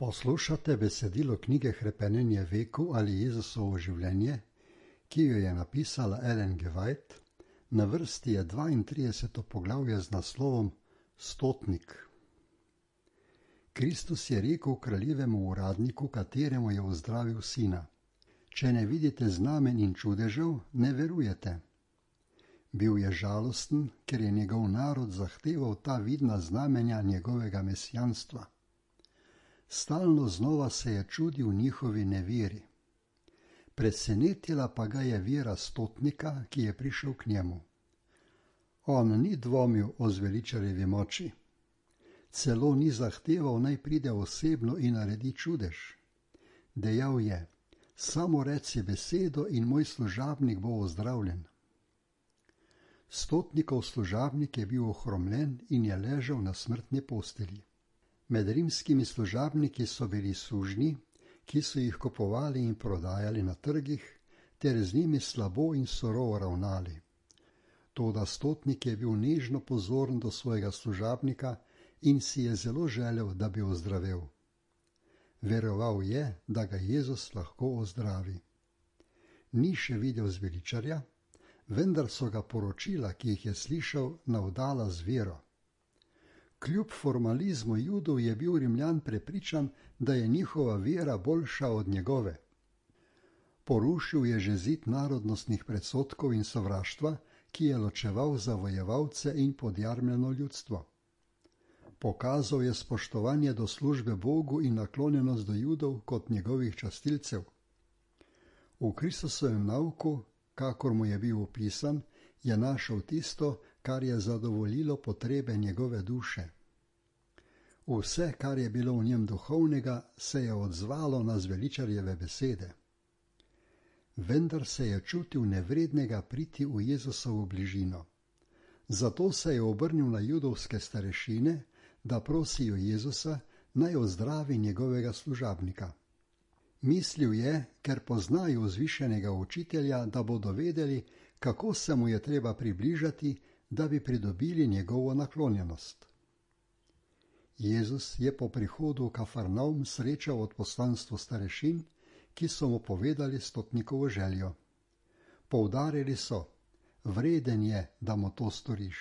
Poslušate besedilo knjige Hrepenenje veku ali Jezusovo življenje, ki jo je napisala Ellen G. White. Na vrsti je 32. poglavje z naslovom Stotnik. Kristus je rekel kraljevemu uradniku, kateremu je ozdravil sina: Če ne vidite znamen in čudežev, ne verujete. Bil je žalosten, ker je njegov narod zahteval ta vidna znamenja njegovega mesijanstva. Stalno znova se je čudil njihovi neveri. Presenetila pa ga je vera stotnika, ki je prišel k njemu. On ni dvomil o zveličarjevi moči. Celo ni zahteval, naj pride osebno in naredi čudež. Dejal je: samo reci besedo in moj služabnik bo ozdravljen. Stotnikov služabnik je bil ohromljen in je ležal na smrtni postelji. Med rimskimi služabniki so bili sužnji, ki so jih kupovali in prodajali na trgih, ter z njimi slabo in surovo ravnali. Toda stotnik je bil nežno pozoren do svojega služabnika in si je zelo želel, da bi ozdravel. Veroval je, da ga Jezus lahko ozdravi. Ni še videl zveličarja, vendar so ga poročila, ki jih je slišal, navdala z vero. Kljub formalizmu Judov je bil Rimljan prepričan, da je njihova vera boljša od njegove. Porušil je že zid narodnostnih predsodkov in sovraštva, ki je ločeval zavojevalce in podjarmljeno ljudstvo. Pokazal je spoštovanje do službe Bogu in naklonjenost do Judov kot njegovih častilcev. V Kristusovem nauku, kakor mu je bil opisan, je našel tisto, kar je zadovoljilo potrebe njegove duše. Vse, kar je bilo v njem duhovnega, se je odzvalo na zveličarjeve besede. Vendar se je čutil nevrednega priti v Jezusovo bližino. Zato se je obrnil na judovske starešine, da prosijo Jezusa, naj ozdravi njegovega služabnika. Mislil je, ker poznajo vzvišenega učitelja, da bodo vedeli, kako se mu je treba približati, da bi pridobili njegovo naklonjenost. Jezus je po prihodu v Kafarnaum srečal odposlanstvo starešin, ki so mu povedali stotnikovo željo. Poudarili so: vreden je, da mu to storiš.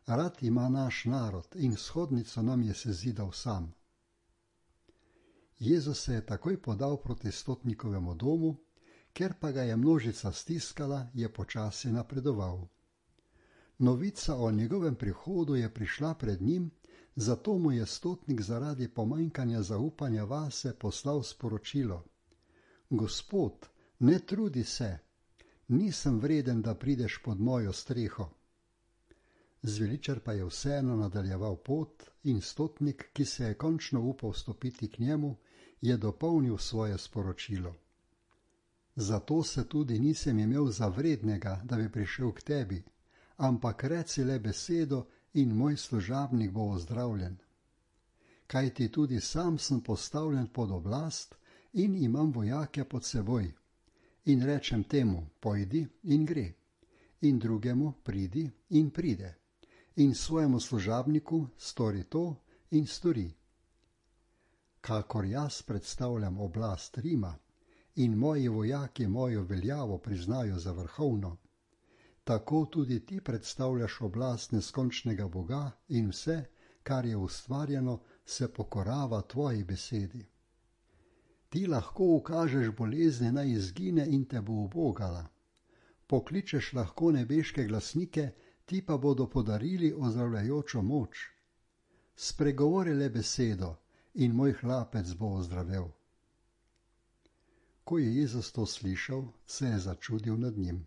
Rad ima naš narod in shodnico nam je sezidal sam. Jezus se je takoj podal proti stotnikovemu domu, ker pa ga je množica stiskala, je počasi napredoval. Novica o njegovem prihodu je prišla pred njim, zato mu je stotnik zaradi pomanjkanja zaupanja vase poslal sporočilo: Gospod, ne trudi se, nisem vreden, da prideš pod mojo streho. Zveličar pa je vseeno nadaljeval pot in stotnik, ki se je končno upal stopiti k njemu, je dopolnil svoje sporočilo. Zato se tudi nisem imel za vrednega, da bi prišel k tebi, ampak reci le besedo in moj služabnik bo ozdravljen. Kajti tudi sam sem postavljen pod oblast in imam vojake pod seboj. In rečem temu: pojdi in gre, in drugemu: pridi in pride, in svojemu služabniku: stori to in stori. Kakor jaz predstavljam oblast Rima in moji vojaki mojo veljavo priznajo za vrhovno, tako tudi ti predstavljaš oblast neskončnega Boga in vse, kar je ustvarjeno, se pokorava tvoji besedi. Ti lahko ukažeš bolezni, naj izgine in te bo ubogala. Pokličeš lahko nebeške glasnike, ti pa bodo podarili ozdravljajočo moč. Spregovori le besedo in moj hlapec bo ozdravel. Ko je Jezus to slišal, se je začudil nad njim.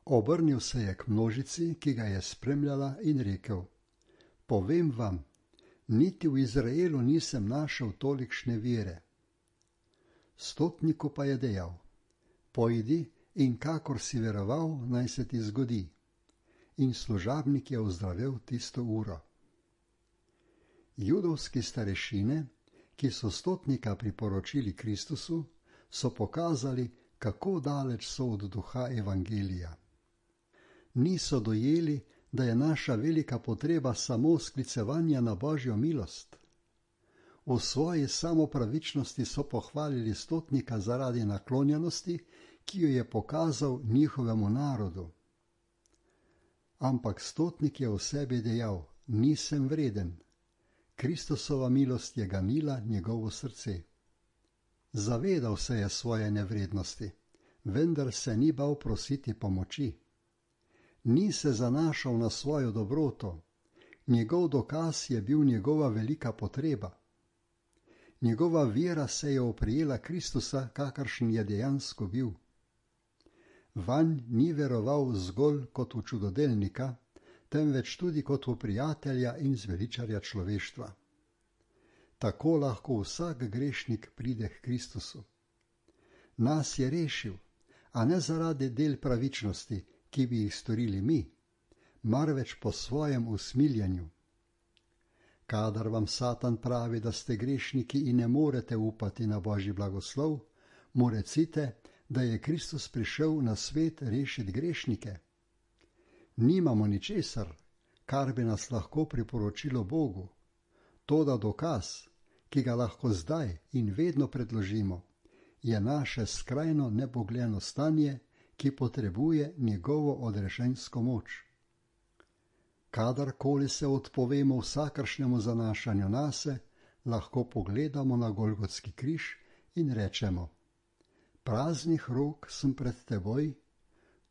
Obrnil se je k množici, ki ga je spremljala, in rekel: povem vam, niti v Izraelu nisem našel tolikšne vere. Stotniku pa je dejal: pojdi in kakor si veroval, naj se ti zgodi. In služabnik je ozdravel tisto uro. Judovski starešine, ki so stotnika priporočili Kristusu, so pokazali, kako daleč so od duha evangelija. Niso dojeli, da je naša velika potreba samo sklicevanja na Božjo milost. V svoji samopravičnosti so pohvalili stotnika zaradi naklonjenosti, ki jo je pokazal njihovemu narodu. Ampak stotnik je v sebi dejal: nisem vreden. Kristusova milost je ganila njegovo srce. Zavedal se je svoje nevrednosti, vendar se ni bal prositi pomoči. Ni se zanašal na svojo dobroto, njegov dokaz je bil njegova velika potreba. Njegova vera se je oprijela Kristusa, kakršen je dejansko bil. Vanj ni veroval zgolj kot v čudodelnika, temveč tudi kot v prijatelja in zveličarja človeštva. Tako lahko vsak grešnik pride k Kristusu. Nas je rešil, a ne zaradi del pravičnosti, ki bi jih storili mi, marveč po svojem usmiljenju. Kadar vam Satan pravi, da ste grešniki in ne morete upati na Božji blagoslov, mu recite, da je Kristus prišel na svet rešiti grešnike. Nimamo ničesar, kar bi nas lahko priporočilo Bogu. Toda dokaz, ki ga lahko zdaj in vedno predložimo, je naše skrajno nebogljeno stanje, ki potrebuje njegovo odrešensko moč. Kadarkoli se odpovemo vsakršnemu zanašanju nase, lahko pogledamo na Golgotski križ in rečemo: praznih rok sem pred teboj,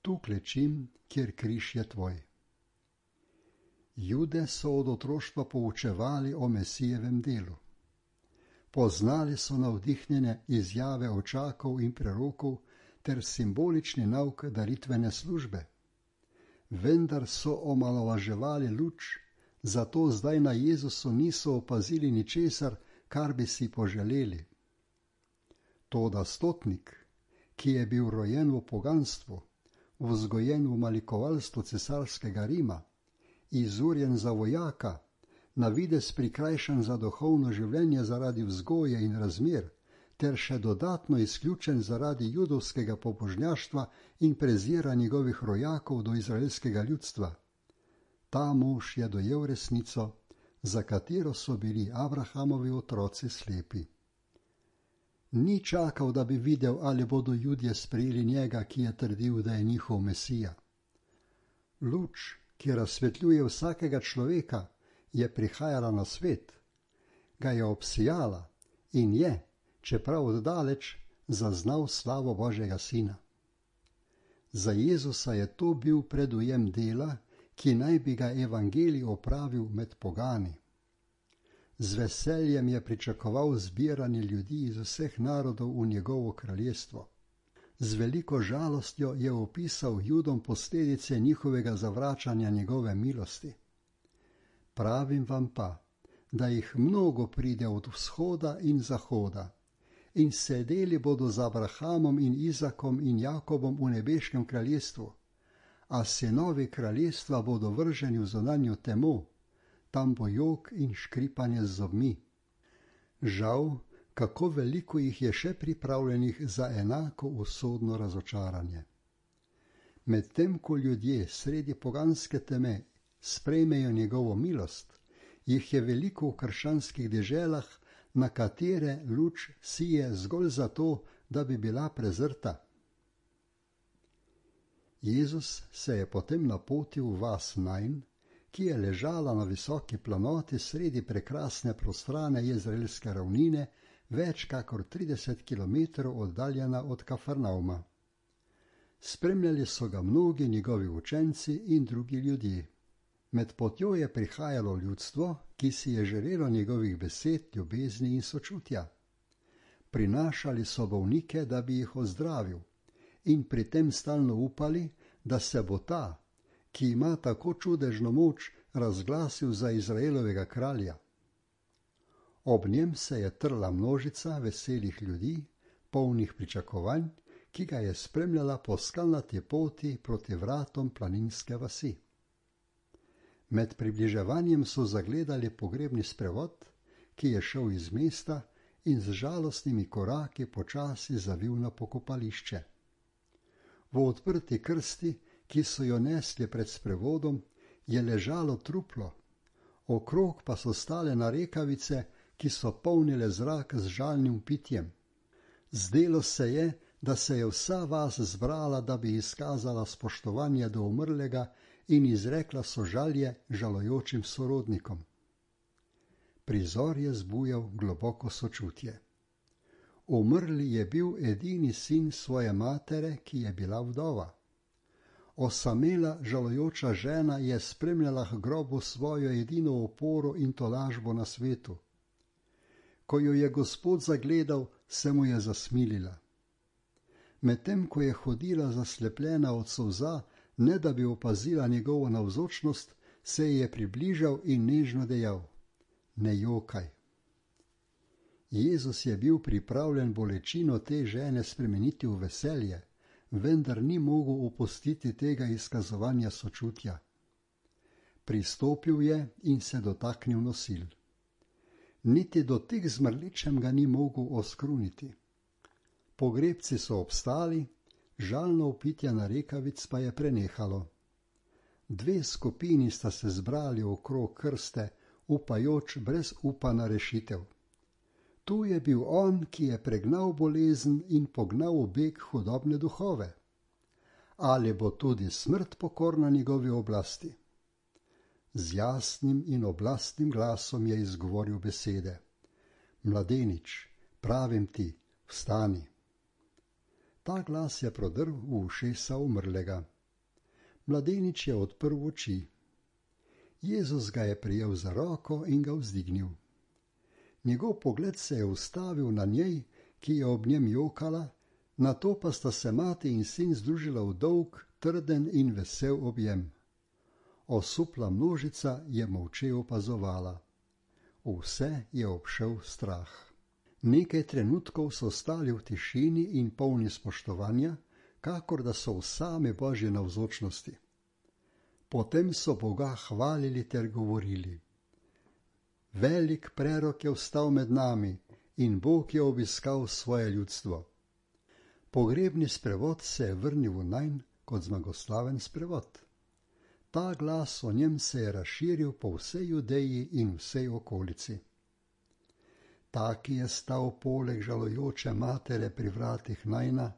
tu klečim, kjer križ je tvoj. Jude so od otroštva poučevali o Mesijevem delu. Poznali so navdihnjene izjave očakov in prerokov ter simbolični nauk daritvene službe. Vendar so omalovaževali luč, zato zdaj na Jezusu niso opazili ničesar, kar bi si poželeli. Toda stotnik, ki je bil rojen v poganstvu, vzgojen v malikovalstvu cesarskega Rima, izurjen za vojaka, na videz prikrajšan za duhovno življenje zaradi vzgoje in razmer, ter še dodatno izključen zaradi judovskega pobožnjaštva in prezira njegovih rojakov do izraelskega ljudstva. Ta mož je dojel resnico, za katero so bili Abrahamovi otroci slepi. Ni čakal, da bi videl, ali bodo Judje sprejeli njega, ki je trdil, da je njihov Mesija. Luč, ki razsvetljuje vsakega človeka, je prihajala na svet, ga je obsijala in je, čeprav oddaleč, zaznal slavo Božjega Sina. Za Jezusa je to bil predujem dela, ki naj bi ga evangelij opravil med pogani. Z veseljem je pričakoval zbiranje ljudi iz vseh narodov v njegovo kraljestvo. Z veliko žalostjo je opisal Judom posledice njihovega zavračanja njegove milosti. Pravim vam pa, da jih mnogo pride od vzhoda in zahoda, in sedeli bodo z Abrahamom in Izakom in Jakobom v nebeškem kraljestvu, a sinovi kraljestva bodo vrženi v zunanjo temo, tam bo jok in škripanje z zobmi. Žal, kako veliko jih je še pripravljenih za enako usodno razočaranje. Medtem ko ljudje sredi poganske teme sprejmejo njegovo milost, jih je veliko v krščanskih deželah, na katere luč sije zgolj zato, da bi bila prezrta. Jezus se je potem napotil v vas Najn, ki je ležala na visoki planoti sredi prekrasne prostrane jezreelske ravnine, več kakor 30 kilometrov oddaljena od Kafarnauma. Spremljali so ga mnogi njegovi učenci in drugi ljudje. Med potjo je prihajalo ljudstvo, ki si je želelo njegovih besed, ljubezni in sočutja. Prinašali so bolnike, da bi jih ozdravil, in pri tem stalno upali, da se bo ta, ki ima tako čudežno moč, razglasil za Izraelovega kralja. Ob njem se je trla množica veselih ljudi, polnih pričakovanj, ki ga je spremljala po skalnati poti proti vratom planinske vasi. Med približevanjem so zagledali pogrebni sprevod, ki je šel iz mesta in z žalostnimi koraki počasi zavil na pokopališče. V odprti krsti, ki so jo nesli pred sprevodom, je ležalo truplo, okrog pa so stale narekavice, ki so polnile zrak z žalnim pitjem. Zdelo se je, da se je vsa vas zbrala, da bi izkazala spoštovanje do umrlega in izrekla sožalje žalujočim sorodnikom. Prizor je zbujal globoko sočutje. Umrli je bil edini sin svoje matere, ki je bila vdova. Osamela žalujoča žena je spremljala k grobu svojo edino oporo in tolažbo na svetu. Ko jo je Gospod zagledal, se mu je zasmilila. Medtem ko je hodila zaslepljena od solza, ne da bi opazila njegovo navzočnost, se ji je približal in nežno dejal: Ne jokaj. Jezus je bil pripravljen bolečino te žene spremeniti v veselje, vendar ni mogel opustiti tega izkazovanja sočutja. Pristopil je in se dotaknil nosil. Niti dotik z mrličem ga ni mogel oskruniti. Pogrebci so obstali, žalno vpitje narekavic pa je prenehalo. Dve skupini sta se zbrali okrog krste, upajoč brez upa na rešitev. Tu je bil on, ki je pregnal bolezen in pognal v beg hudobne duhove. Ali bo tudi smrt pokorna njegovi oblasti? Z jasnim in oblastnim glasom je izgovoril besede: Mladenič, pravim ti, vstani. Ta glas je prodrl v ušesa umrlega. Mladenič je odprl oči. Jezus ga je prijel za roko in ga vzdignil. Njegov pogled se je ustavil na njej, ki je ob njem jokala, nato pa sta se mati in sin združila v dolg, trden in vesel objem. Osupla množica je molče opazovala. Vse je obšel strah. Nekaj trenutkov so stali v tišini in polni spoštovanja, kakor da so v same Božje navzočnosti. Potem so Boga hvalili ter govorili: Velik prerok je vstal med nami in Bog je obiskal svoje ljudstvo. Pogrebni sprevod se je vrnil v najn kot zmagoslaven sprevod. Ta glas o njem se je razširil po vsej Judeji in vsej okolici. Ta, ki je stal poleg žalujoče matere pri vratih najna,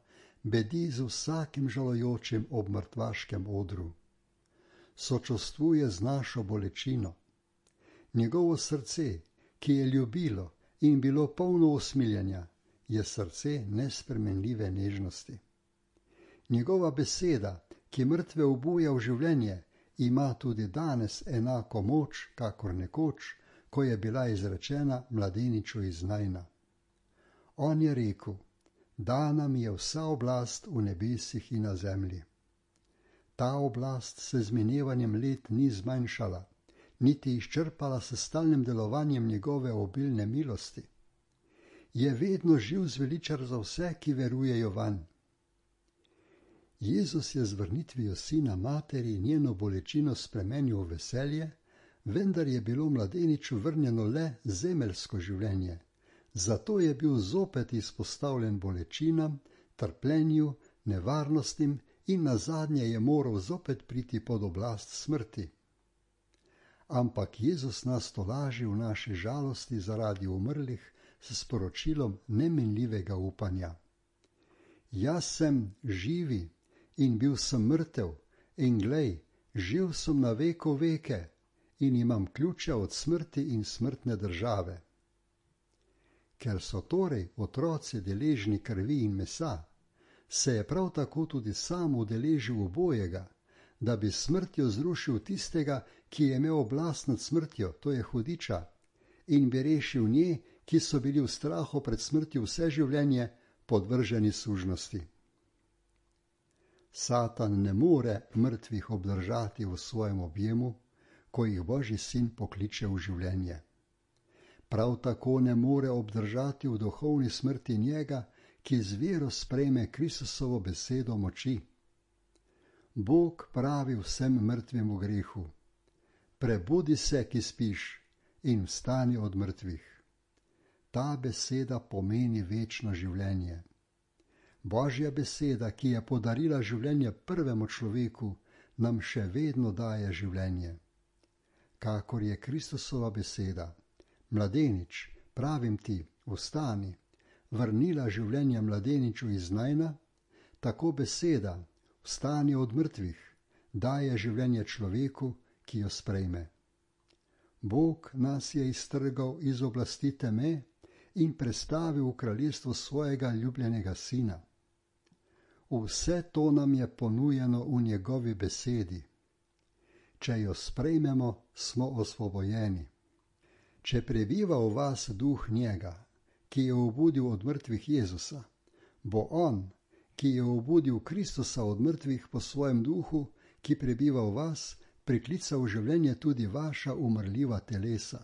bedi z vsakim žalujočim ob mrtvaškem odru. Sočustvuje z našo bolečino. Njegovo srce, ki je ljubilo in bilo polno usmiljenja, je srce nespremenljive nežnosti. Njegova beseda, ki mrtve obuja v življenje, ima tudi danes enako moč, kakor nekoč, ko je bila izrečena mladeniču iz najna. On je rekel: Dana mi je vsa oblast v nebesih in na zemlji. Ta oblast se z minevanjem let ni zmanjšala, niti izčrpala s stalnim delovanjem njegove obilne milosti. Je vedno živ zveličar za vse, ki verujejo vanj. Jezus je z vrnitvijo sina materi njeno bolečino spremenil v veselje, vendar je bilo mladeniču vrnjeno le zemeljsko življenje, zato je bil zopet izpostavljen bolečinam, trpljenju, nevarnostim in nazadnje je moral zopet priti pod oblast smrti. Ampak Jezus nas tolaži v naši žalosti zaradi umrlih s sporočilom neminljivega upanja. Jaz sem živi in bil sem mrtev, in glej, živ sem na veko veke in imam ključe od smrti in smrtne države. Ker so torej otroci deležni krvi in mesa, se je prav tako tudi sam udeležil obojega, da bi smrtjo zrušil tistega, ki je imel oblast nad smrtjo, to je hudiča, in bi rešil nje, ki so bili v strahu pred smrtjo vse življenje podvrženi sužnosti. Satan ne more mrtvih obdržati v svojem objemu, ko jih Božji sin pokliče v življenje. Prav tako ne more obdržati v duhovni smrti njega, ki z vero sprejme Kristusovo besedo moči. Bog pravi vsem mrtvim v grehu: Prebudi se, ki spiš, in vstani od mrtvih. Ta beseda pomeni večno življenje. Božja beseda, ki je podarila življenje prvemu človeku, nam še vedno daje življenje. Kakor je Kristusova beseda: Mladenič, pravim ti, vstani, vrnila življenje mladeniču iz najna, tako beseda, vstani od mrtvih, daje življenje človeku, ki jo sprejme. Bog nas je iztrgal iz oblasti teme in prestavil v kraljestvo svojega ljubljenega sina. Vse to nam je ponujeno v njegovi besedi. Če jo sprejmemo, smo osvobojeni. Če prebiva v vas duh njega, ki je obudil od mrtvih Jezusa, bo on, ki je obudil Kristusa od mrtvih po svojem duhu, ki prebiva v vas, priklical v življenje tudi vaša umrljiva telesa.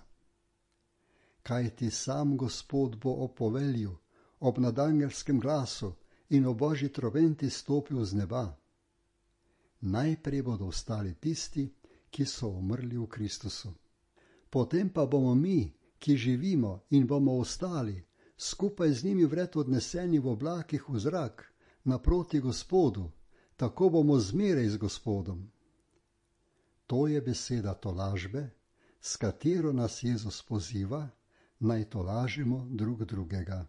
Kajti sam Gospod bo ob povelju, ob nadangelskem glasu in ob božji trobenti stopil z neba. Najprej bodo ostali tisti, ki so umrli v Kristusu. Potem pa bomo mi, ki živimo in bomo ostali, skupaj z njimi vred odneseni v oblakih v zrak, naproti Gospodu, tako bomo zmeraj z Gospodom. To je beseda tolažbe, s katero nas Jezus poziva, naj tolažimo drug drugega.